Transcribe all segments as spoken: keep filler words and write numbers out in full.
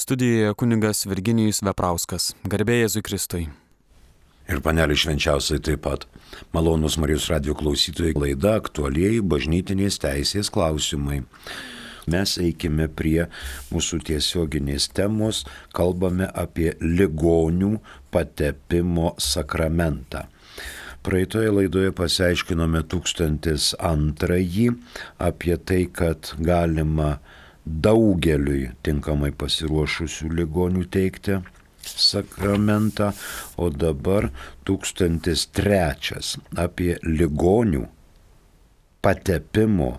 Studijoje kunigas Virginijus Veprauskas. Garbė Jėzui Kristui. Ir panelį švenčiausiai taip pat. Malonūs Marijos radijo klausytojai, laida aktualieji bažnytinės teisės klausimai. Mes eikime prie mūsų tiesioginės temos, kalbame apie ligonių patepimo sakramentą. Praeitoje laidoje pasiaiškinome tūkstantis antrąjį apie tai, kad galima daugeliui tinkamai pasiruošusių ligonių teikti sakramentą, o dabar tūkstantis trečias apie ligonių patepimo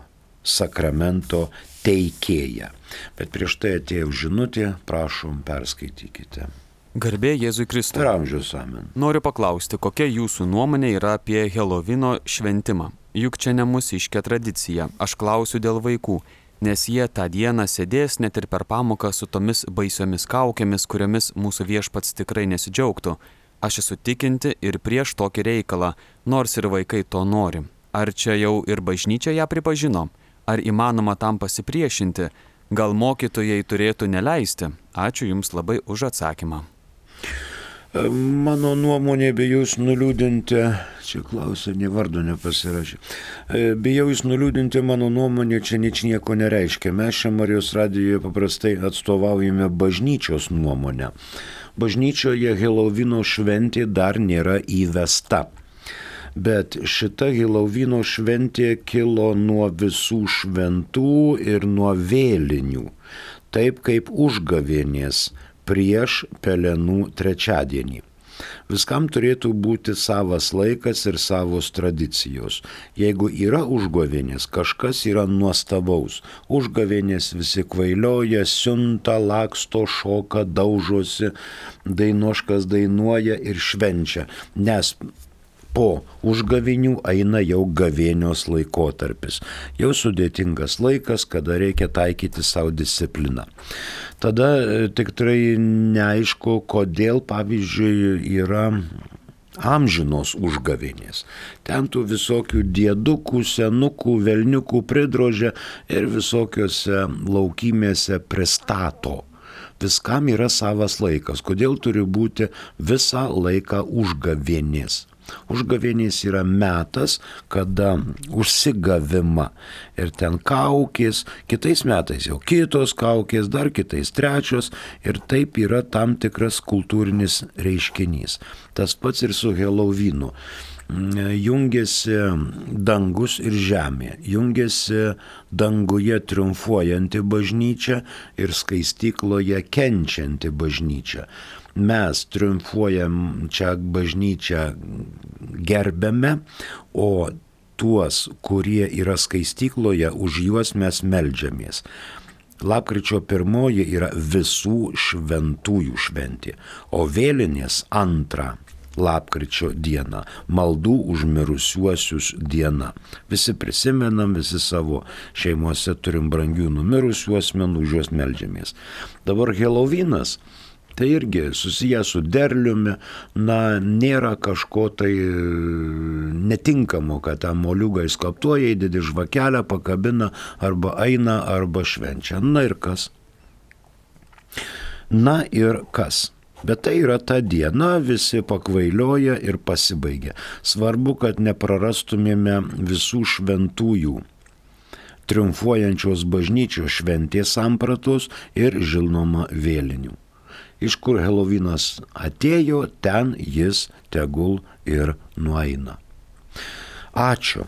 sakramento teikėją. Bet prieš tai atėjo žinutė, prašom, perskaitykite. Garbė Jėzui Kristui. Per amžius amen. Noriu paklausti, kokia jūsų nuomonė yra apie Helovino šventimą? Juk čia ne mūsiška tradicija. Aš klausiu dėl vaikų, nes jie tą dieną sėdės net ir per pamoką su tomis baisiomis kaukėmis, kuriomis mūsų viešpats tikrai nesidžiaugtų. Aš esu tikinti ir prieš tokį reikalą, nors ir vaikai to nori. Ar čia jau ir bažnyčia ją pripažino? Ar įmanoma tam pasipriešinti? Gal mokytojai turėtų neleisti? Ačiū Jums labai už atsakymą. Mano nuomonė, bijau jūs nuliūdinti, čia klausia, ne vardu nepasirašė, bijau jūs nuliūdinti, mano nuomonė čia nič nieko nereiškia. Mes čia Marijos radijoje paprastai atstovaujame bažnyčios nuomonę. Bažnyčioje Helovino šventė dar nėra įvesta. Bet šita Helovino šventė kilo nuo visų šventų ir nuo vėlinių, taip kaip užgavėnės prieš Pelenų trečiadienį. Viskam turėtų būti savas laikas ir savos tradicijos. Jeigu yra užgavėnės, kažkas yra nuostabaus. Užgavėnės visi kvailioja, siunta, laksto, šoka, daužosi, dainuoškas dainuoja ir švenčia, nes po užgavinių eina jau gavėnios laikotarpis. Jau sudėtingas laikas, kada reikia taikyti savo discipliną. Tada tikrai neaišku, kodėl, pavyzdžiui, yra amžinos užgavėnės. Ten tų visokių diedukų, senukų, velniukų pridrožia ir visokiose laukymėse pristato. Viskam yra savas laikas. Kodėl turi būti visą laiką užgavėnės? Užgavėnės yra metas, kada užsigavima ir ten kaukės, kitais metais jau kitos kaukės, dar kitais trečios ir taip yra tam tikras kultūrinis reiškinys. Tas pats ir su Helovinu. Jungiasi dangus ir žemė, jungiasi danguje triumfuojanti bažnyčia ir skaistykloje kenčianti bažnyčia. Mes triumfuojam čia bažnyčią gerbėme, o tuos, kurie yra skaistykloje, už juos mes meldžiamės. Lapkričio pirmoji yra visų šventųjų šventė, o vėlinės antrą lapkričio diena, maldų už mirusiuosius diena. Visi prisimenam, visi savo šeimose turim brangių numirusių asmenų, už juos meldžiamės. Dabar Helovinas, tai irgi susijęs su derliumi, na, nėra kažko tai netinkamo, kad tą moliūgą įskaptuoja, įdedi žvakelę, pakabina, arba eina, arba švenčia. Na ir kas? Na ir kas? Bet tai yra ta diena, visi pakvailioja ir pasibaigia. Svarbu, kad neprarastumėme visų šventųjų, triumfuojančios bažnyčios šventės sampratos ir žinoma vėlinių. Iš kur Helovinas atėjo, ten jis tegul ir nueina. Ačiū.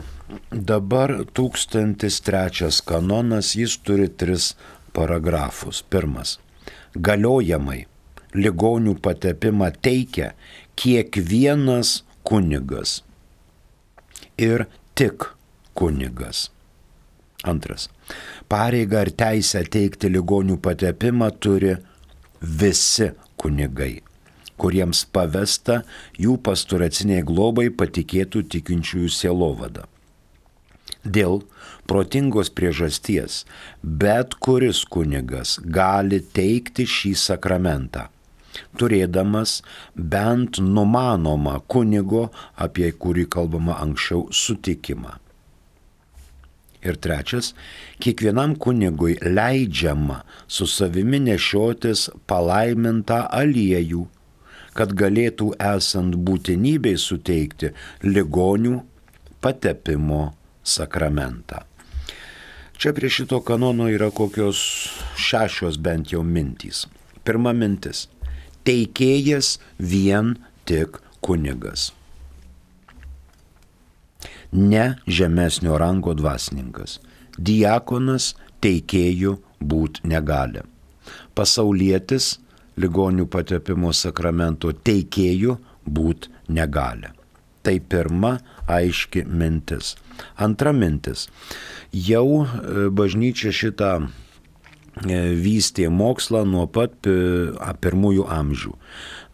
Dabar tūkstantis trečias kanonas, jis turi tris paragrafus. Pirmas. Galiojamai ligonių patepimą teikia kiekvienas kunigas ir tik kunigas. Antras. Pareigą ir teisę teikti ligonių patepimą turi visi kunigai, kuriems pavesta jų pastoraciniai globai patikėtų tikinčiųjų sielovada. Dėl protingos priežasties bet kuris kunigas gali teikti šį sakramentą, turėdamas bent numanomą kunigo, apie kurį kalbama anksčiau, sutikimą. Ir trečias, kiekvienam kunigui leidžiama su savimi nešiotis palaimintą aliejų, kad galėtų esant būtinybei suteikti ligonių patepimo sakramentą. Čia prie šito kanono yra kokios šešios bent jau mintys. Pirma mintis. Teikėjas vien tik kunigas. Ne žemesnio rango dvasininkas. Diakonas teikėjų būt negali. Pasaulietis ligonių patepimo sakramento teikėjų būt negali. Tai pirma aiški mintis. Antra mintis. Jau bažnyčia šitą vystė mokslą nuo pat pirmųjų amžių.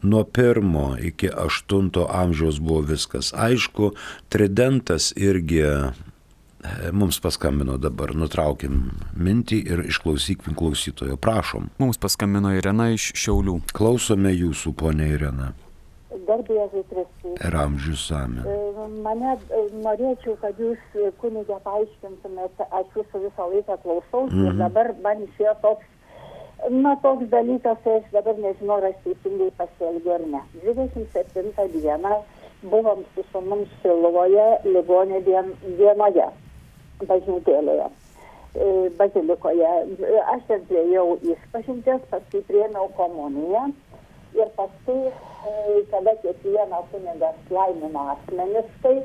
Nuo pirmo iki aštunto amžiaus buvo viskas aišku. Tridentas irgi mums paskambino dabar. Nutraukim mintį ir išklausykim klausytojo. Prašom. Mums paskambino Irena iš Šiaulių. Klausome jūsų, ponia Irena. Garbė Jėzui Kristui. Ir amžius amen. Mane norėčiau, kad jūs kunigė paaiškintumėte, aš jūsų visą laiką klausausi mm-hmm. ir dabar man išėjo toks, na toks dalykas, tai aš dabar nežinau, ar aš teisingai pasielgiu ar ne. dvidešimt septintą dieną buvom su sūnum Šiluvoje ligonio dien, dienoje, bažnytėlėje, bazilikoje. Aš ten priėjau išpažinties, paskui priėmiau komuniją ir paskui kada kiekvieną kunigas laimino asmenis, tai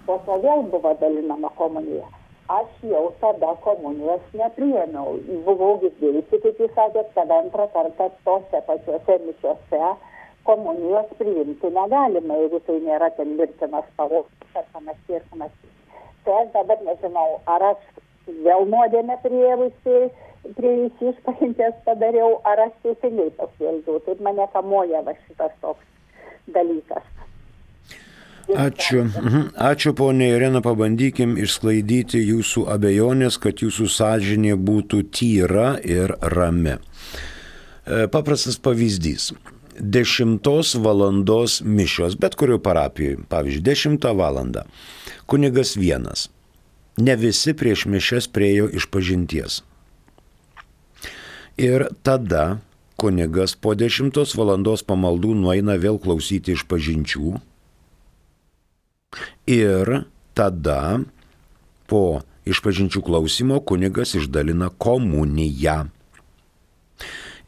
po to vėl buvo dalinama komunija. Aš jau tada komunijos nepriėmiau. Buvau girdėjusi, kaip jūs sakėt, kad antrą kartą tose pačiose mišiose komunijos priimti negalima, jeigu tai nėra ten mirtinas pavojus ar panašiai ir panašiai. Tai aš dabar nežinau, ar aš vėl nuodėmę priėmusi, prie jūsų išpažinties padariau, ar aš teisingai pasielgiau. Taip mane kamuoja va šitas toks dalykas. Ačiū. Ačiū, ponė Irena, pabandykim išsklaidyti jūsų abejonės, kad jūsų sąžinė būtų tyra ir rami. Paprastas pavyzdys. Dešimtos valandos mišios, bet kurio parapijoje, pavyzdžiui, dešimtą valandą. Kunigas vienas. Ne visi prieš mišias priėjo išpažinties. Ir tada kunigas po dešimtos valandos pamaldų nueina vėl klausyti išpažinčių ir tada po išpažinčių klausimo kunigas išdalina komuniją.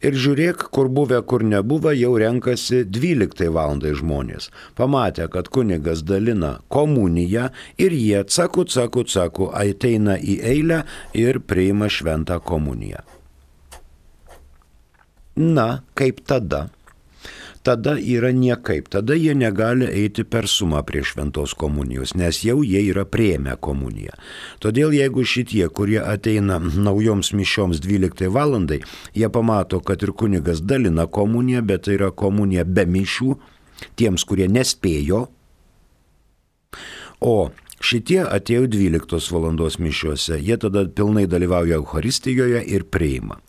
Ir žiūrėk, kur buvę, kur nebuvę, jau renkasi dvyliktai valandai žmonės. Pamatė, kad kunigas dalina komuniją ir jie caku, caku, caku ateina į eilę ir priima šventą komuniją. Na, kaip tada? Tada yra niekaip. Tada jie negali eiti per sumą prie šventos komunijos, nes jau jie yra priėmę komuniją. Todėl jeigu šitie, kurie ateina naujoms mišioms dvyliktai valandai, jie pamato, kad ir kunigas dalina komuniją, bet tai yra komunija be mišių, tiems, kurie nespėjo, o šitie atėjo dvyliktos valandos mišiuose, jie tada pilnai dalyvauja Eucharistijoje ir priima.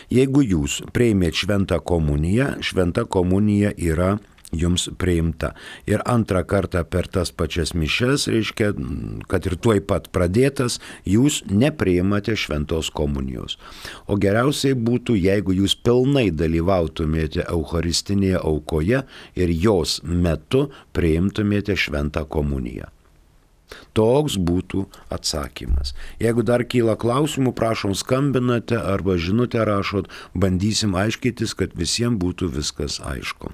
Jeigu jūs priėmėt šventą komuniją, šventa komunija yra jums priimta. Ir antrą kartą per tas pačias mišias, reiškia, kad ir tuoj pat pradėtas, jūs nepriimate šventos komunijos. O geriausiai būtų, jeigu jūs pilnai dalyvautumėte eucharistinėje aukoje ir jos metu priimtumėte šventą komuniją. Toks būtų atsakymas. Jeigu dar kyla klausimų, prašom skambinate arba žinutę rašot, bandysim aiškytis, kad visiems būtų viskas aišku.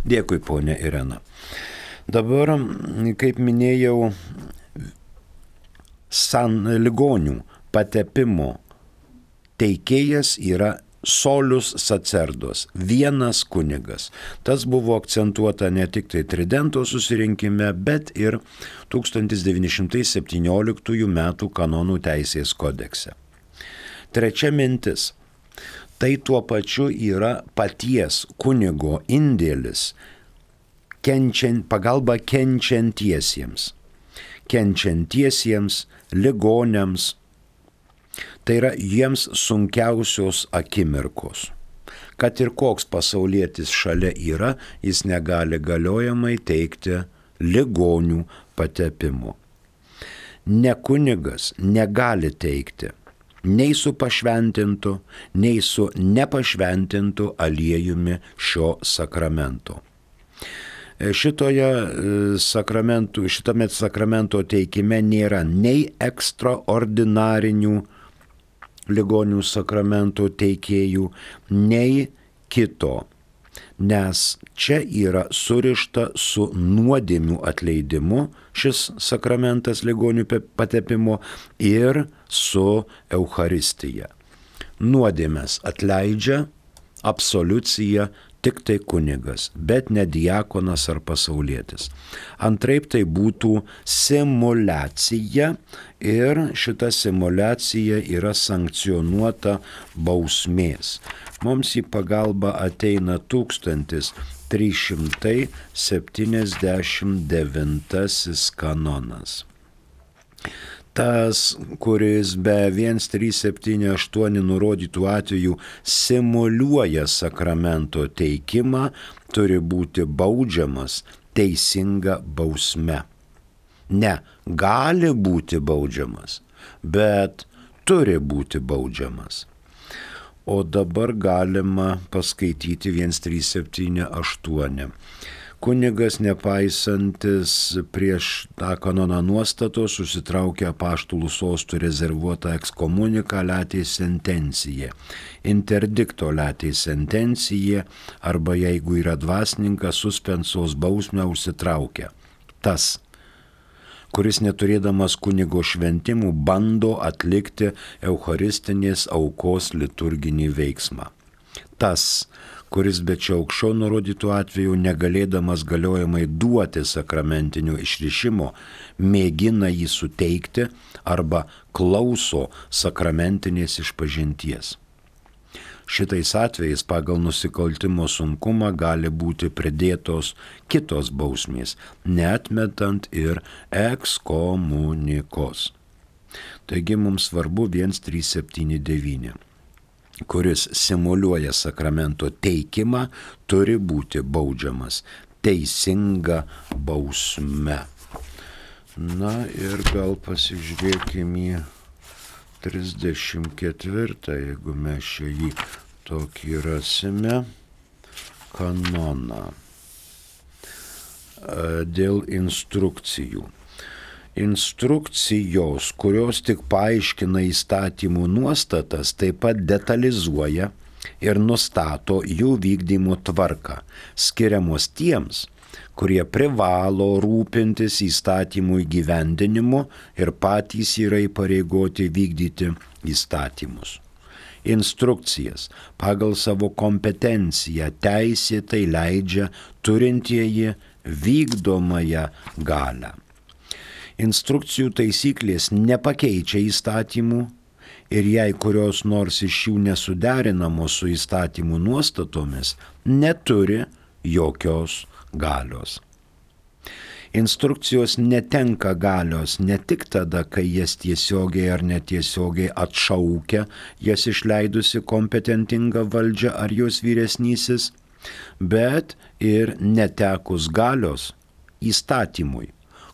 Dėkui, ponė Irena. Dabar, kaip minėjau, san ligonių patepimo teikėjas yra solius sacerdos, vienas kunigas. Tas buvo akcentuota ne tik tai Tridento susirinkime, bet ir tūkstantis devyni šimtai septynioliktųjų metų kanonų teisės kodekse. Trečia mintis. Tai tuo pačiu yra paties kunigo indėlis kenčiant, pagalba kenčiantiesiems. Kenčiantiesiems, ligoniams. Tai yra jiems sunkiausios akimirkos. Kad ir koks pasaulietis šalia yra, jis negali galiojamai teikti ligonių patepimo. ne kunigas negali teikti nei su pašventintu, nei su nepašventintu aliejumi šio sakramento. Šitoje sakramentų, šitame sakramento teikime nėra nei ekstraordinarinių ligonių sakramento teikėjų, nei kito, nes čia yra surišta su nuodėmių atleidimu šis sakramentas ligonių patepimo ir su Eucharistija. Nuodėmes atleidžia absoliucija tik tai kunigas, bet ne diakonas ar pasaulietis. Antraip tai būtų simuliacija ir šita simuliacija yra sankcionuota bausmės. Mums į pagalbą ateina tūkstantis trys šimtai septyniasdešimt devintasis kanonas. Tas, kuris be vienas trys septyni aštuoni nurodytų atvejų simuliuoja sakramento teikimą, turi būti baudžiamas teisinga bausme. Ne, gali būti baudžiamas, bet turi būti baudžiamas. O dabar galima paskaityti vienas trys septyni aštuoni. Kunigas, nepaisantis prieš tą kanoną nuostatos, susitraukia apaštalų sostų rezervuotą ekskomuniką latei sentencija, interdikto latei sentencija, arba jeigu yra dvasininkas, suspensos bausmę užsitraukia. Tas, kuris neturėdamas kunigo šventimų bando atlikti eucharistinės aukos liturginį veiksmą. Tas, kuris be čia aukščiau nurodytų atveju negalėdamas galiojamai duoti sakramentinio išrišimo, mėgina jį suteikti arba klauso sakramentinės išpažinties. Šitais atvejais pagal nusikaltimo sunkumą gali būti pridėtos kitos bausmės, neatmetant ir ekskomunikos. Taigi mums svarbu vienas trys septyni devyni. Kuris simuliuoja sakramento teikimą, turi būti baudžiamas teisinga bausme. Na ir gal pasižiūrėkime į trisdešimt ketvirtą, jeigu mes čia jį tokį rasime, kanoną dėl instrukcijų. Instrukcijos, kurios tik paaiškina įstatymų nuostatas, taip pat detalizuoja ir nustato jų vykdymo tvarką, skiriamos tiems, kurie privalo rūpintis įstatymų įgyvendinimu ir patys yra įpareigoti vykdyti įstatymus. Instrukcijas pagal savo kompetenciją teisėtai leidžia turintieji vykdomąją galią. Instrukcijų taisyklės nepakeičia įstatymų ir jei kurios nors iš jų nesuderinamos su įstatymų nuostatomis, neturi jokios galios. Instrukcijos netenka galios ne tik tada, kai jas tiesiogiai ar netiesiogiai atšaukia jas išleidusi kompetentinga valdžia ar jos vyresnysis, bet ir netekus galios įstatymui,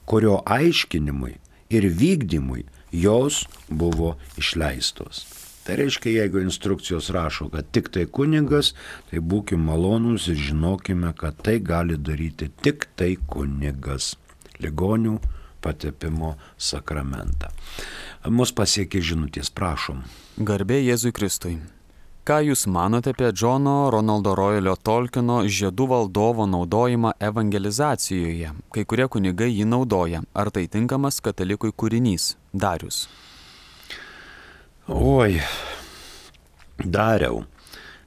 kurio aiškinimui ir vykdymui jos buvo išleistos. Tai reiškia, jeigu instrukcijos rašo, kad tik tai kunigas, tai būkime malonūs ir žinokime, kad tai gali daryti tik tai kunigas. Ligonių patepimo sakramentą. Mus pasiekė žinutės, prašom. Garbė Jėzui Kristui. Ką Jūs manote apie Džono Ronaldo Royalio Tolkieno Žiedų valdovo naudojimą evangelizacijoje? Kai kurie kunigai jį naudoja. Ar tai tinkamas katalikui kūrinys? Darius. Oi, Dariau.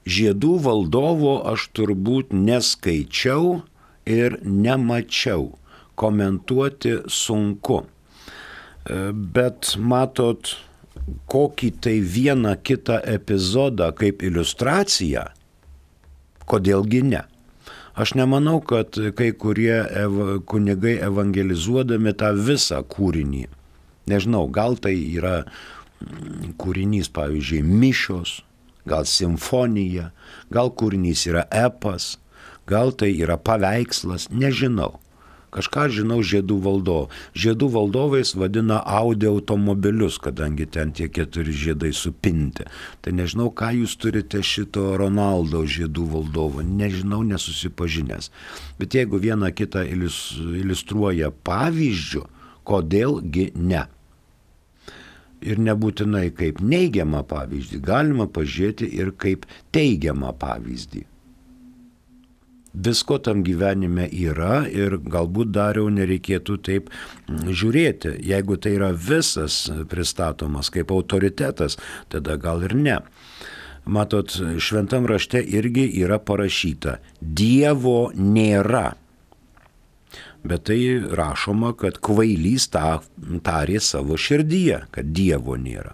Žiedų valdovo aš turbūt neskaičiau ir nemačiau. Komentuoti sunku. Bet matot, kokį tai vieną kitą epizodą kaip iliustraciją, kodėlgi ne. Aš nemanau, kad kai kurie ev- kunigai evangelizuodami tą visą kūrinį, nežinau, gal tai yra kūrinys, pavyzdžiui, mišios, gal simfonija, gal kūrinys yra epas, gal tai yra paveikslas, nežinau. Kažką žinau žiedų valdovų. Žiedų valdovais vadina Audi automobilius, kadangi ten tie keturi žiedai supinti. Tai nežinau, ką jūs turite šito Ronaldo žiedų valdovo. Nežinau, nesusipažinęs. Bet jeigu vieną kitą iliustruoja pavyzdžių, kodėlgi ne? Ir nebūtinai kaip neigiamą pavyzdį, galima pažiūrėti ir kaip teigiamą pavyzdį. Visko tam gyvenime yra ir galbūt Dariau nereikėtų taip žiūrėti. Jeigu tai yra visas pristatomas kaip autoritetas, tada gal ir ne. Matot, šventam rašte irgi yra parašyta, Dievo nėra. Bet tai rašoma, kad kvailys tą tarė savo širdyje, kad Dievo nėra.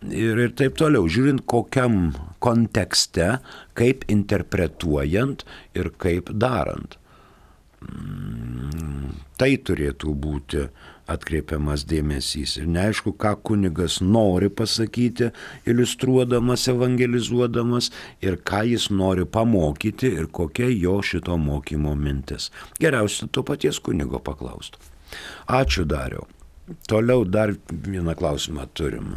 Ir, ir taip toliau, žiūrint kokiam kontekste, kaip interpretuojant ir kaip darant. Tai turėtų būti atkreipiamas dėmesys. Ir neaišku, ką kunigas nori pasakyti, iliustruodamas, evangelizuodamas, ir ką jis nori pamokyti ir kokia jo šito mokymo mintis. Geriausia to paties kunigo paklaustų. Ačiū, Dariau. Toliau dar vieną klausimą turim.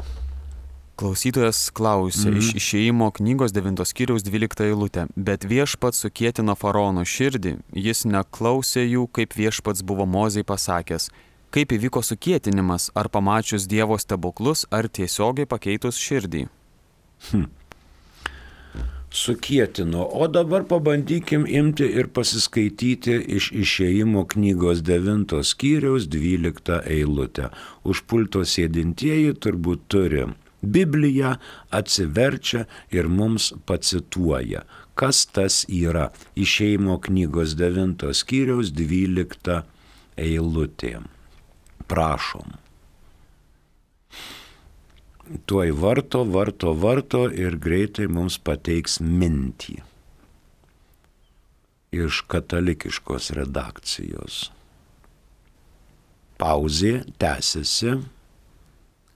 Klausytojas klausė mm. iš Išėjimo knygos devintos skyriaus dvyliktą eilutę. Bet viešpats sukietino faraono širdį, jis neklausė jų, kaip viešpats buvo Mozei pasakęs. Kaip įvyko sukietinimas, ar pamačius Dievo stebuklus, ar tiesiogiai pakeitus širdį? Hm. Sukietino. O dabar pabandykim imti ir pasiskaityti iš Išėjimo knygos devintos skyriaus dvyliktą eilutę. Už pulto sėdintieji turbūt turi Bibliją, atsiverčia ir mums pacituoja. Kas tas yra? Išėjimo knygos devintos skyriaus dvyliktą eilutė. Prašom. Tuoj varto, varto, varto ir greitai mums pateiks mintį iš katalikiškos redakcijos. Pauzė tęsiasi,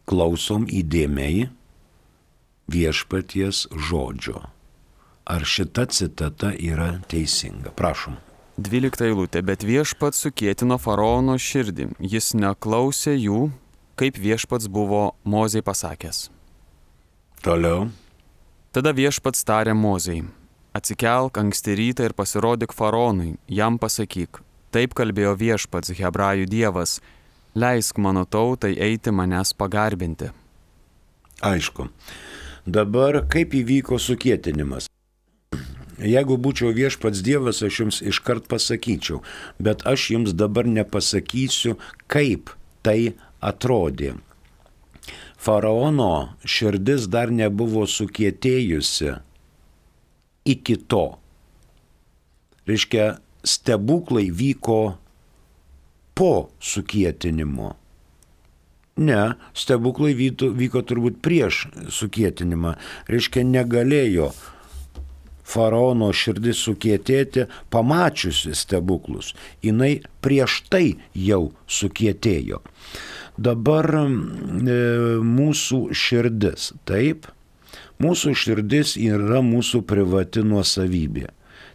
klausom įdėmiai viešpaties žodžio. Ar šita citata yra teisinga? Prašom. Dvylikta eilutė, bet viešpats sukietino faraono širdį, jis neklausė jų, kaip viešpats buvo Mozei pasakęs. Toliau. Tada viešpats tarė Mozei, atsikelk anksti rytą ir pasirodyk faraonui, jam pasakyk, taip kalbėjo viešpats Hebrajų dievas, leisk mano tautai eiti manęs pagarbinti. Aišku. Dabar kaip įvyko sukietinimas? Jeigu būčiau viešpats Dievas, aš jums iškart pasakyčiau, bet aš jums dabar nepasakysiu, kaip tai atrodė. Faraono širdis dar nebuvo sukietėjusi iki to. Reiškia, stebuklai vyko po sukietinimo. Ne, stebuklai vyko, vyko turbūt prieš sukietinimą. Reiškia, negalėjo faraono širdis sukietėti, pamačiusi stebuklus. Jinai prieš tai jau sukietėjo. Dabar e, mūsų širdis, taip? Mūsų širdis yra mūsų privati nuosavybė.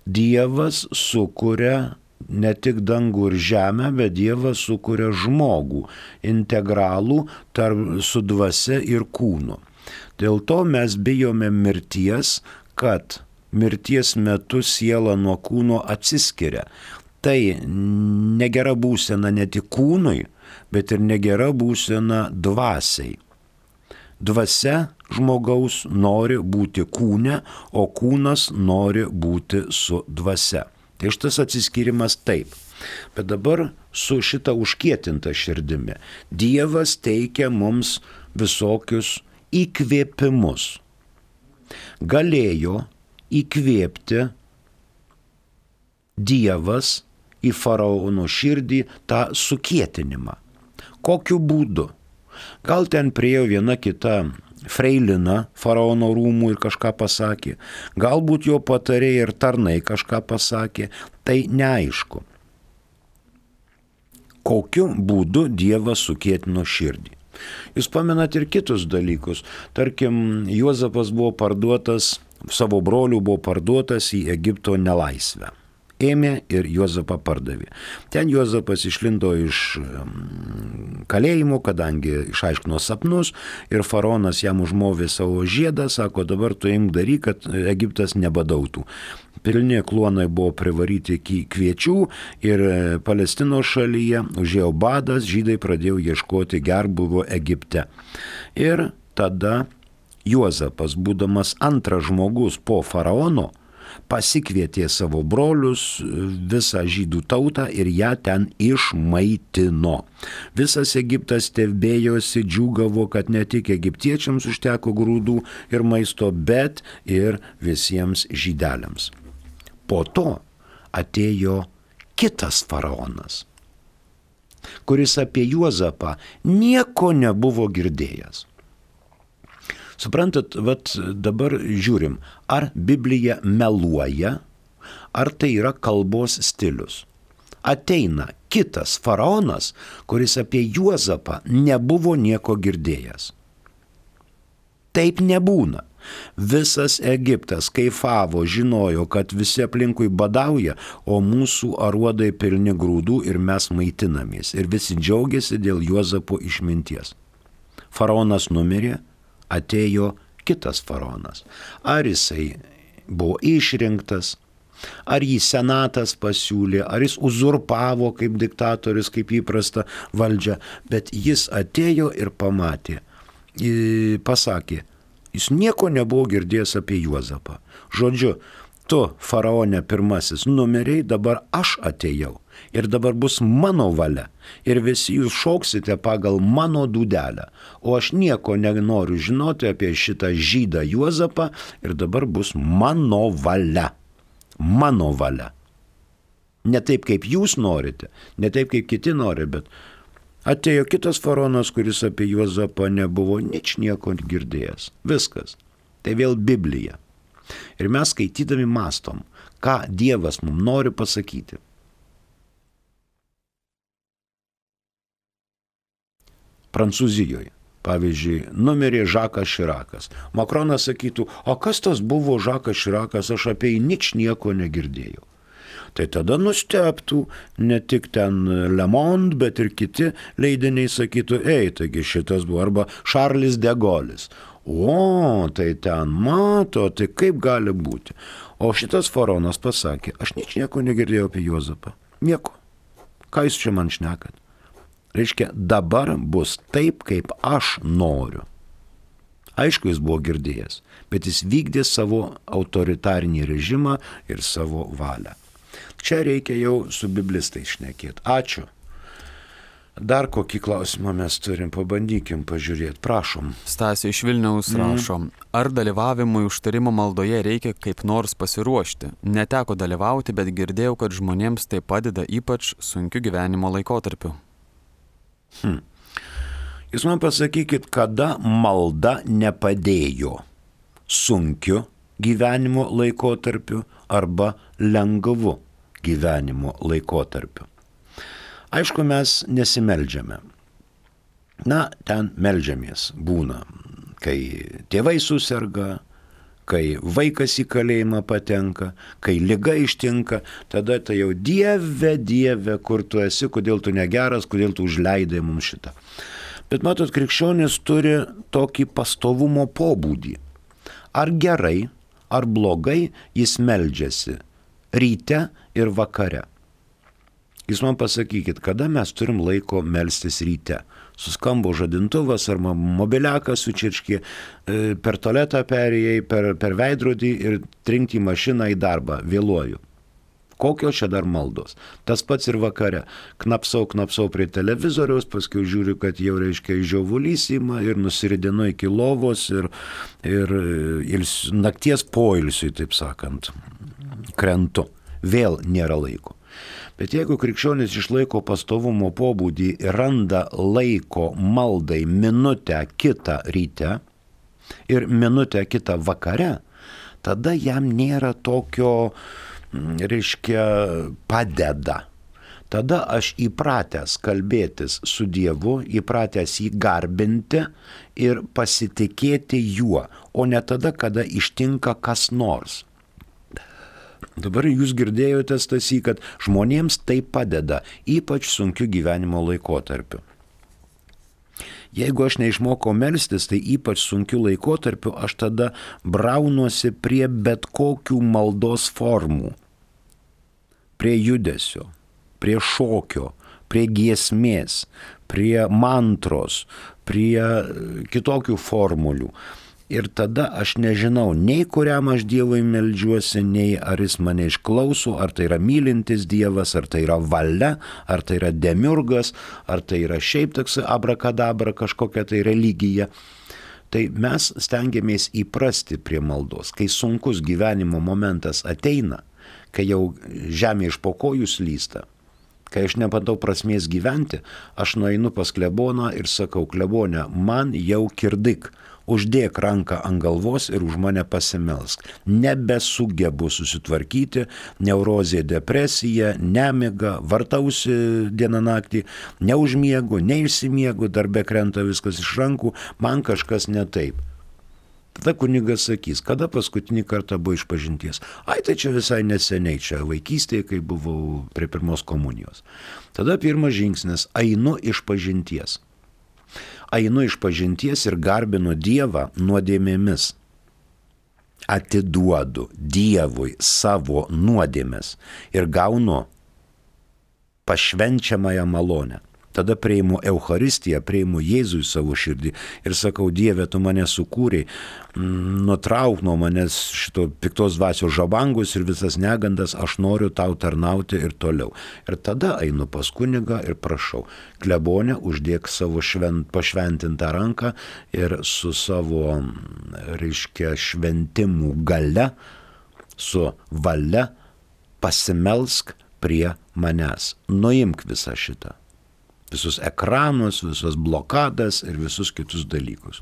Dievas sukuria ne tik dangų ir žemę, bet Dievas sukuria žmogų, integralų tarp su dvasia ir kūnu. Dėl to mes bijome mirties, kad mirties metu siela nuo kūno atsiskiria. Tai negera būsena ne tik kūnui, bet ir negera būsena dvasiai. Dvasia žmogaus nori būti kūne, o kūnas nori būti su dvasia. Tai šitas atsiskyrimas taip. Bet dabar su šita užkietinta širdimi Dievas teikia mums visokius įkvėpimus. Galėjo įkvėpti Dievas į faraono širdį tą sukietinimą. Kokiu būdu? Gal ten priėjo viena kita freilina faraono rūmų ir kažką pasakė. Galbūt jo patarėjai ir tarnai kažką pasakė. Tai neaišku. Kokiu būdu Dievas sukietino širdį? Jūs pamenat ir kitus dalykus. Tarkim, Juozapas buvo parduotas, savo brolių buvo parduotas į Egipto nelaisvę. ėmė ir Juozapą pardavė. Ten Juozapas išlindo iš kalėjimo, kadangi išaiškino sapnus ir faraonas jam užmovė savo žiedą, sako, dabar tu imk daryk, kad Egiptas nebadautų. Pilni kluonai buvo privaryti kviečių ir Palestinos šalyje užėjo badas, žydai pradėjo ieškoti gerbūvio Egipte. Ir tada Juozapas, būdamas antras žmogus po faraono, pasikvietė savo brolius, visą žydų tautą ir ją ten išmaitino. Visas Egiptas stebėjosi, džiūgavo, kad ne tik egiptiečiams užteko grūdų ir maisto, bet ir visiems žydeliams. Po to atėjo kitas faraonas, kuris apie Juozapą nieko nebuvo girdėjęs. Suprantat, vat dabar žiūrim, ar Biblija meluoja, ar tai yra kalbos stilius. Ateina kitas faraonas, kuris apie Juozapą nebuvo nieko girdėjęs. Taip nebūna. Visas Egiptas kaifavo, žinojo, kad visi aplinkui badauja, o mūsų aruodai pilni grūdų ir mes maitinamės. Ir visi džiaugiasi dėl Juozapo išminties. Faraonas numirė, atėjo kitas faraonas. Ar jisai buvo išrinktas, ar jį senatas pasiūlė, ar jis uzurpavo kaip diktatorius, kaip įprasta valdžia, bet jis atėjo ir pamatė, pasakė, jis nieko nebuvo girdėjęs apie Juozapą. Žodžiu, tu, faraone pirmasis, numeriai, dabar aš atėjau ir dabar bus mano valia ir visi jūs šauksite pagal mano dūdelę, o aš nieko nenoriu žinoti apie šitą žydą Juozapą ir dabar bus mano valia. Mano valia. Ne taip, kaip jūs norite, ne taip, kaip kiti nori, bet atėjo kitas faraonas, kuris apie Juozapą nebuvo nič nieko girdėjęs. Viskas. Tai vėl Biblija. Ir mes skaitydami mąstom, ką Dievas mums nori pasakyti. Prancūzijoje, pavyzdžiui, numirė Žakas Širakas. Makronas sakytų, o kas tas buvo Žakas Širakas, aš apie jį nič nieko negirdėjau. Tai tada nustebtų ne tik ten Le Monde, bet ir kiti leidiniai sakytų, ei, taigi šitas buvo, arba Šarlis de Golis. O, tai ten mato, tai kaip gali būti. O šitas faraonas pasakė, aš nič nieko negirdėjau apie Juozapą. Nieko. Ką jūs čia man šnekat? Reiškia, dabar bus taip, kaip aš noriu. Aišku, jis buvo girdėjęs, bet jis vykdė savo autoritarinį režimą ir savo valią. Čia reikia jau su biblistais šnekėti. Ačiū. Dar kokį klausimą mes turim, pabandykim pažiūrėti, prašom. Stasė iš Vilniaus rašo, ar dalyvavimui užtarimo maldoje reikia kaip nors pasiruošti? Neteko dalyvauti, bet girdėjau, kad žmonėms tai padeda ypač sunkiu gyvenimo laikotarpiu. Hmm. Jūs man pasakykit, kada malda nepadėjo sunkiu gyvenimo laikotarpiu arba lengvu gyvenimo laikotarpiu. Aišku, mes nesimeldžiame. Na, ten meldžiamės būna, kai tėvai suserga, kai vaikas į kalėjimą patenka, kai liga ištinka, tada tai jau Dieve, Dieve, kur tu esi, kodėl tu negeras, kodėl tu užleidai mums šitą. Bet matot, krikščionis turi tokį pastovumo pobūdį. Ar gerai, ar blogai jis meldžiasi ryte ir vakare. Jūs man pasakykit, kada mes turim laiko melstis ryte. Suskambo žadintuvas ar mobiliakas sučirškė, per tualetą perėjai, per, per veidrodį ir trinkti į mašiną į darbą, vėluoju. Kokios čia dar maldos? Tas pats ir vakare. Knapsau, knapsau prie televizoriaus, paskui žiūriu, kad jau reiškia žiovulys ima ir nusiridinu iki lovos ir, ir, ir nakties poilsiui, taip sakant, krentu. Vėl nėra laiko. Bet jeigu krikščionis išlaiko pastovumo pobūdį ir randa laiko maldai minutę kitą ryte ir minutę kitą vakare, tada jam nėra tokio, reiškia, padeda. Tada aš įpratęs kalbėtis su Dievu, įpratęs jį garbinti ir pasitikėti juo, o ne tada, kada ištinka kas nors. Dabar jūs girdėjote, Stasy, kad žmonėms tai padeda, ypač sunkiu gyvenimo laikotarpiu. Jeigu aš neišmokau melstis, tai ypač sunkiu laikotarpiu aš tada braunuosi prie bet kokių maldos formų. Prie judesio, prie šokio, prie giesmės, prie mantros, prie kitokių formulių. Ir tada aš nežinau, nei kuriam aš Dievui meldžiuosi, nei ar jis mane išklauso, ar tai yra mylintis Dievas, ar tai yra valia, ar tai yra demiurgas, ar tai yra šiaip toks abrakadabra kažkokia tai religija. Tai mes stengiamės įprasti prie maldos. Kai sunkus gyvenimo momentas ateina, kai jau žemė iš po kojų slysta, kai aš nepatau prasmės gyventi, aš nueinu pas kleboną ir sakau, klebone, man jau kirdik. Uždėk ranką ant galvos ir už mane pasimelsk. Nebesugebu susitvarkyti, neurozė, depresija, nemiga, vartausi dieną naktį, neužmiegu, neišsimiegu, darbe krenta viskas iš rankų, man kažkas ne taip. Tada kunigas sakys, kada paskutinį kartą buvo išpažinties. Ai, tai čia visai neseniai, čia vaikystėje, kai buvau prie pirmos komunijos. Tada pirmas žingsnis, einu išpažinties. Einu išpažinties ir garbinu Dievą nuodėmėmis. Atiduodu Dievui savo nuodėmes ir gaunu pašvenčiamąją malonę. Tada priimu Eucharistiją, priimu Jėzų į savo širdį ir sakau, Dieve, tu mane sukūrei, nutrauk nuo manęs šito piktos dvasios žabangus ir visas negandas, aš noriu tau tarnauti ir toliau. Ir tada einu pas kunigą ir prašau, klebone, uždėk savo švent, pašventintą ranką ir su savo, reiškia, šventimų gale, su valia pasimelsk prie manęs. Nuimk visą šitą. Visus ekranus, visus blokadas ir visus kitus dalykus.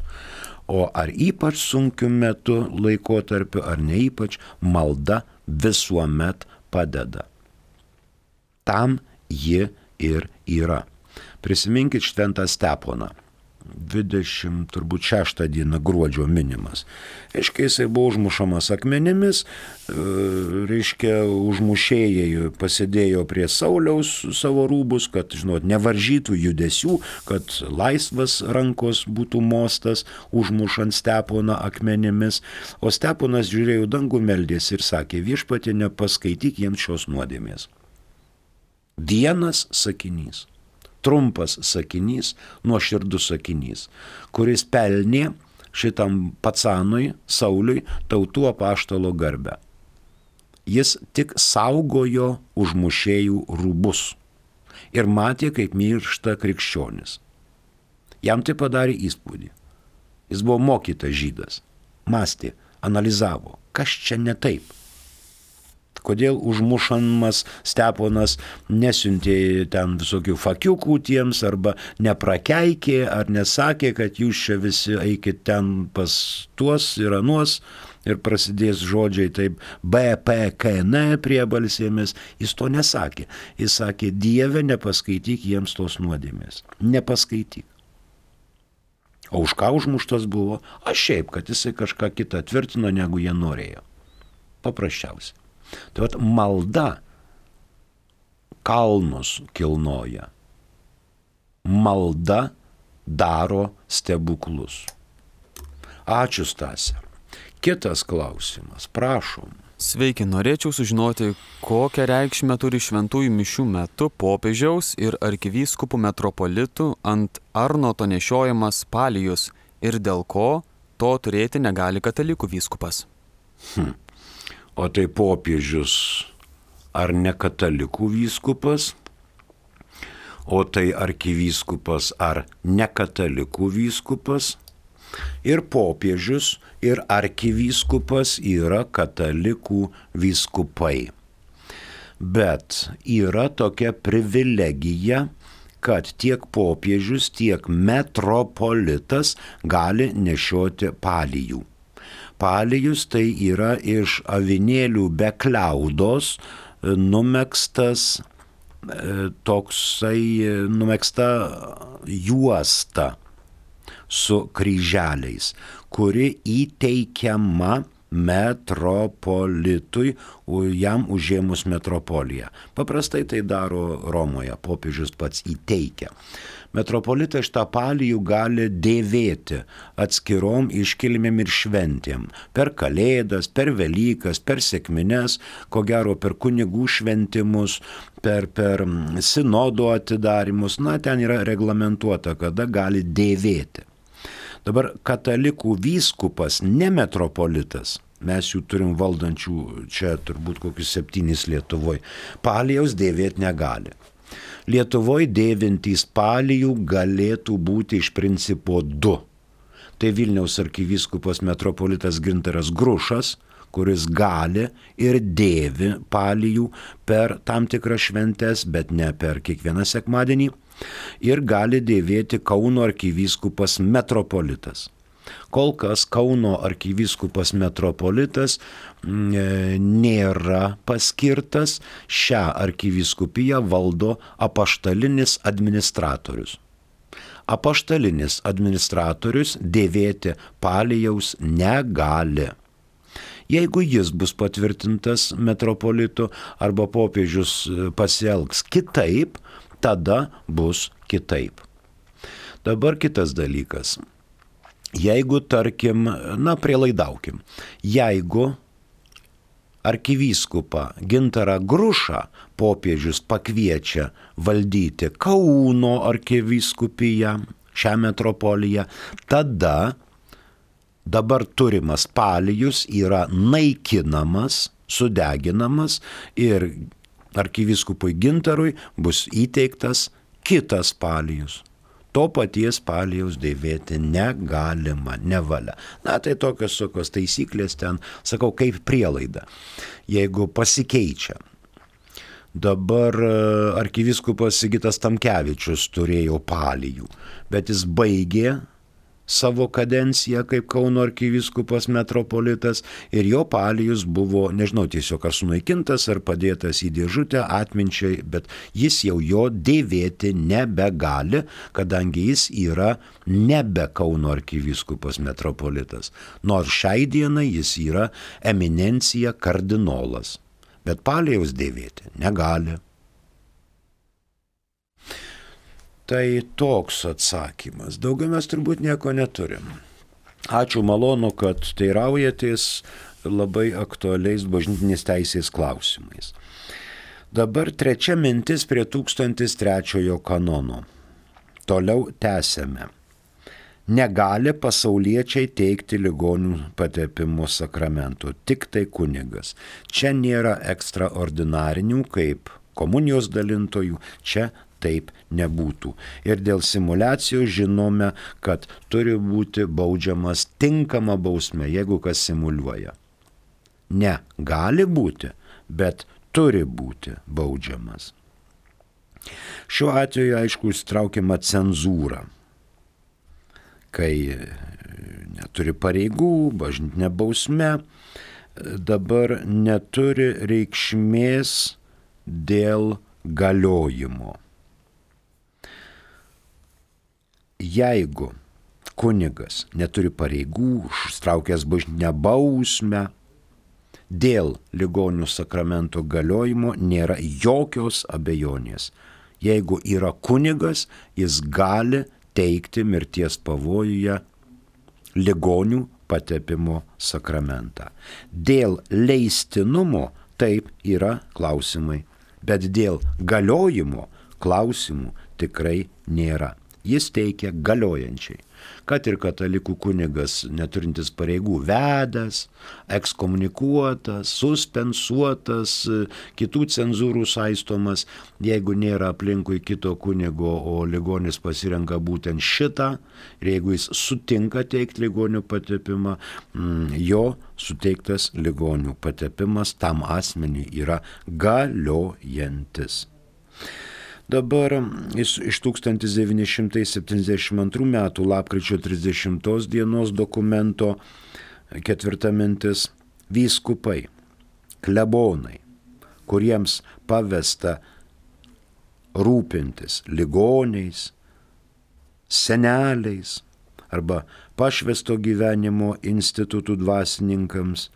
O ar ypač sunkiu metu laikotarpiu, ar ne ypač, malda visuomet padeda. Tam ji ir yra. Prisiminkit šventą Steponą. dvidešimt šeštą dieną gruodžio minimas. Reiškia, jisai buvo užmušamas akmenimis, reiškia, užmušėjai pasidėjo prie Sauliaus savo rūbus, kad, žinot, nevaržytų judesių, kad laisvas rankos būtų mostas, užmušant Steponą akmenimis. O Steponas žiūrėjo dangų, meldėsi ir sakė, viešpatie, nepaskaityk jiems šios nuodėmės. Vienas sakinys. Trumpas sakinys, nuoširdus sakinys, kuris pelnė šitam pacanui, Sauliui, tautų apaštalo garbę. Jis tik saugojo užmušėjų rūbus ir matė, kaip miršta krikščionis. Jam tai padarė įspūdį. Jis buvo mokytas žydas, mąstė, analizavo, kas čia ne taip. Kodėl užmušamas Steponas nesiuntė ten visokių fakiukų tiems, arba neprakeikė, ar nesakė, kad jūs čia visi eikit ten pas tuos ir anuos, ir prasidės žodžiai taip B, P, K, N priebalsėmis. Jis to nesakė. Jis sakė, Dieve, nepaskaityk jiems tos nuodėmės. Nepaskaityk. O už ką užmuštas buvo? Aš šiaip, kad jisai kažką kitą tvirtino, negu jie norėjo. Paprasčiausiai. Tai vat malda kalnus kilnoja. Malda daro stebuklus. Ačiū, Stasė. Kitas klausimas, prašom. Sveiki, norėčiau sužinoti, kokią reikšmę turi šventųjų mišių metu popiežiaus ir arkivyskupų metropolitų ant Arnoto nešiojamas palijus ir dėl ko to turėti negali katalikų vyskupas. Hm. O tai popiežius ar ne katalikų vyskupas, o tai arkivyskupas ar ne katalikų vyskupas, ir popiežius ir arkivyskupas yra katalikų vyskupai. Bet yra tokia privilegija, kad tiek popiežius, tiek metropolitas gali nešioti palijų. Palijus tai yra iš avinėlių be kliaudos numegztas toksai, numegzta juosta su kryželiais, kuri įteikiama metropolitui, jam užėmus metropoliją. Paprastai tai daro Romoje, popiežius pats įteikia. Metropolitas šitą palijų gali dėvėti atskirom iškilmėm ir šventėm. Per Kalėdas, per Velykas, per sekmines, ko gero per kunigų šventimus, per, per sinodo atidarimus. Na, ten yra reglamentuota, kada gali dėvėti. Dabar katalikų vyskupas, ne metropolitas, mes jų turim valdančių čia turbūt kokius septynis Lietuvoje, palijaus dėvėti negali. Lietuvoje dėvintys palijų galėtų būti iš principo du. Tai Vilniaus arkivyskupas metropolitas Gintaras Grušas, kuris gali ir dėvi palijų per tam tikras šventes, bet ne per kiekvieną sekmadienį, ir gali dėvėti Kauno arkivyskupas metropolitas. Kol kas Kauno arkivyskupas metropolitas nėra paskirtas, šią arkivyskupiją valdo apaštalinis administratorius. Apaštalinis administratorius dėvėti palijaus negali. Jeigu jis bus patvirtintas metropolitu arba popiežius pasielgs kitaip, tada bus kitaip. Dabar kitas dalykas. Jeigu, tarkim, na, prielaidaukim, jeigu arkivyskupą Gintarą Grušą popiežius pakviečia valdyti Kauno arkivyskupiją, šią metropoliją, tada dabar turimas palijus yra naikinamas, sudeginamas ir arkivyskupui Gintarui bus įteiktas kitas palijus. To paties palijaus dėvėti negalima, nevalia. Na, tai tokios tokios taisyklės ten, sakau, kaip prielaida, jeigu pasikeičia. Dabar arkivyskupas Sigitas Tamkevičius turėjo palijų, bet jis baigė savo kadenciją kaip Kauno arkivyskupas metropolitas ir jo palijus buvo, nežinau tiesiog ar sunaikintas, ar padėtas į dėžutę atminčiai, bet jis jau jo dėvėti nebegali, kadangi jis yra nebe Kauno arkivyskupas metropolitas. Nors šiai dienai jis yra eminencija kardinolas, bet palijaus dėvėti negali. Tai toks atsakymas. Daugiau mes turbūt nieko neturim. Ačiū, malonu, kad teiraujatės labai aktualiais bažnytinės teisės klausimais. Dabar trečia mintis prie tūkstantis trečiojo kanono. Toliau tęsiame. Negali pasauliečiai teikti ligonių patepimo sakramentų, tik tai kunigas. Čia nėra ekstraordinarinių kaip komunijos dalintojų, čia taip nebūtų. Ir dėl simuliacijos žinome, kad turi būti baudžiamas tinkama bausmė, jeigu kas simuliuoja. Ne, gali būti, bet turi būti baudžiamas. Šiuo atveju, aišku, įstraukiama cenzūra, kai neturi pareigų, bažnytinė bausmė, dabar neturi reikšmės dėl galiojimo. Jeigu kunigas neturi pareigų, užtraukęs bažnytinę bausmę, dėl ligonių sakramento galiojimo nėra jokios abejonės. Jeigu yra kunigas, jis gali teikti mirties pavojuje ligonių patepimo sakramentą. Dėl leistinumo taip yra klausimai, bet dėl galiojimo klausimų tikrai nėra. Jis teikia galiojančiai, kad ir katalikų kunigas neturintis pareigų vedęs, ekskomunikuotas, suspensuotas, kitų cenzūrų saistomas, jeigu nėra aplinkui kito kunigo, o ligonis pasirenka būtent šitą, ir jeigu jis sutinka teikti ligonių patepimą, jo suteiktas ligonių patepimas tam asmeniui yra galiojantis. Dabar iš tūkstantis devyni šimtai septyniasdešimt antrų metų lapkričio trisdešimtos dienos dokumento ketvirta mintis – vyskupai, klebonai, kuriems pavesta rūpintis ligoniais, seneliais, arba pašvęsto gyvenimo institutų dvasininkams,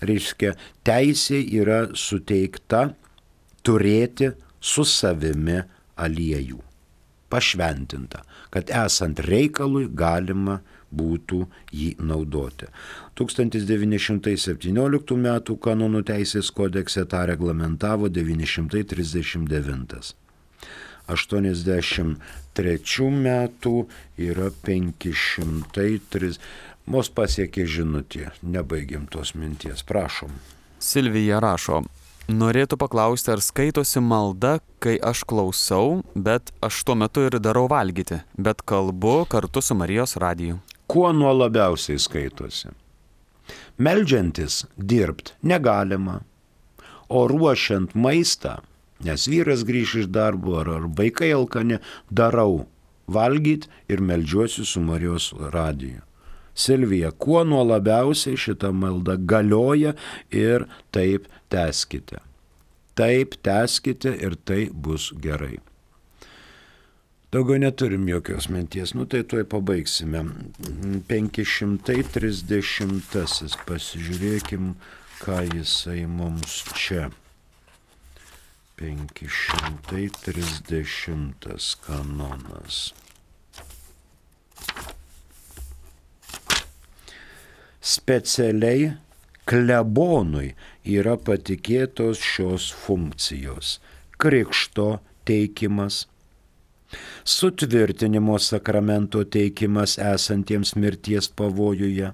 reiškia, teisė yra suteikta turėti su savimi aliejų, pašventinta, kad esant reikalui galima būtų jį naudoti. tūkstantis devyni šimtai septynioliktų metų kanonų teisės kodekse tą reglamentavo devyni šimtai trisdešimt devintas. aštuoniasdešimt trečių metų yra penki šimtai tris. Mus pasiekė žinutė, nebaigėm tos minties, prašom. Silvija rašo, norėtų paklausti, ar skaitosi malda, kai aš klausau, bet aš tuo metu ir darau valgyti, bet kalbu kartu su Marijos radiju. Kuo nuo labiausiai skaitosi? Meldžiantis dirbt negalima, o ruošiant maistą, nes vyras grįš iš darbo ar, ar vaikai alkani, darau valgyti ir meldžiuosi su Marijos radiju. Silvija, kuo nuo labiausiai šita malda galioja ir taip tęskite. Taip tęskite ir tai bus gerai. Daugiau neturim jokios minties, nu tai tuoj pabaigsime. penki šimtai trisdešimtasis, pasižiūrėkim, ką jisai mums čia. penki šimtai trisdešimtas kanonas. Specialiai klebonui yra patikėtos šios funkcijos – krikšto teikimas, sutvirtinimo sakramento teikimas esantiems mirties pavojuje,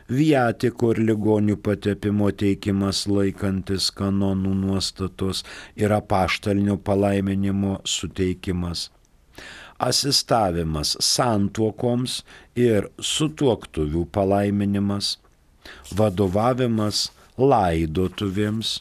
viatiko ir ligonių patepimo teikimas laikantis kanonų nuostatos ir apaštalinio palaiminimo suteikimas, asistavimas santuokoms ir sutuoktuvių palaiminimas, vadovavimas laidotuvėms,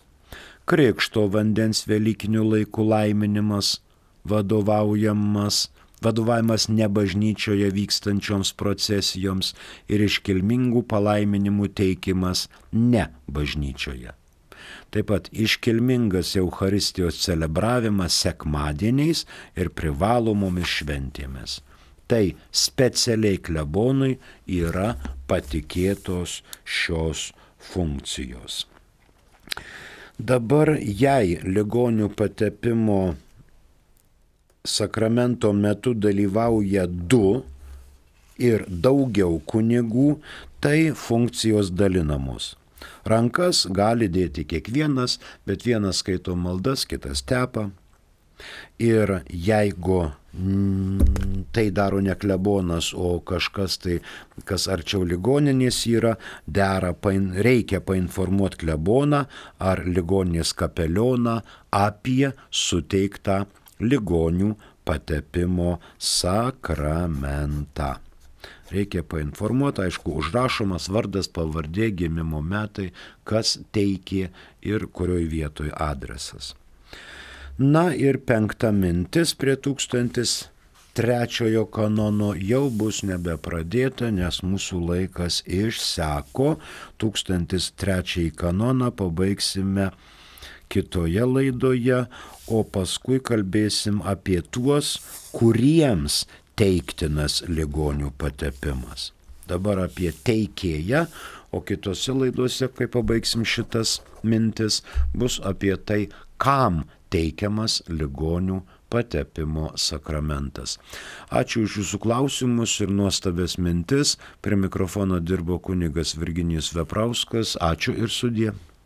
krikšto vandens velykinių laikų laiminimas, vadovaujamas, vadovavimas ne bažnyčioje vykstančioms procesijoms ir iškilmingų palaiminimų teikimas ne bažnyčioje. Taip pat iškilmingas Eucharistijos celebravimas sekmadieniais ir privalomomis šventėmis. Tai specialiai klebonui yra patikėtos šios funkcijos. Dabar jei ligonių patepimo sakramento metu dalyvauja du ir daugiau kunigų, tai funkcijos dalinamos. Rankas gali dėti kiekvienas, bet vienas skaito maldas, kitas tepa. Ir jeigu mm, tai daro ne klebonas, o kažkas tai, kas arčiau ligoninės yra, dera, pain, reikia painformuoti kleboną ar ligoninės kapelioną apie suteiktą ligonių patepimo sakramentą. Reikia painformuoti, aišku, užrašomas vardas, pavardė, gimimo metai, kas teikė ir kurioj vietoj adresas. Na ir penkta mintis prie tūkstantis trečiojo kanono jau bus nebepradėta, nes mūsų laikas išseko. Tūkstantis trečiąjį kanoną pabaigsime kitoje laidoje, o paskui kalbėsim apie tuos, kuriems teiktinas ligonių patepimas. Dabar apie teikėją, o kitose laidose, kai pabaigsim šitas mintis, bus apie tai, kam teikiamas ligonių patepimo sakramentas. Ačiū už jūsų klausimus ir nuostabės mintis. Prie mikrofono dirbo kunigas Virginijus Veprauskas. Ačiū ir sudie.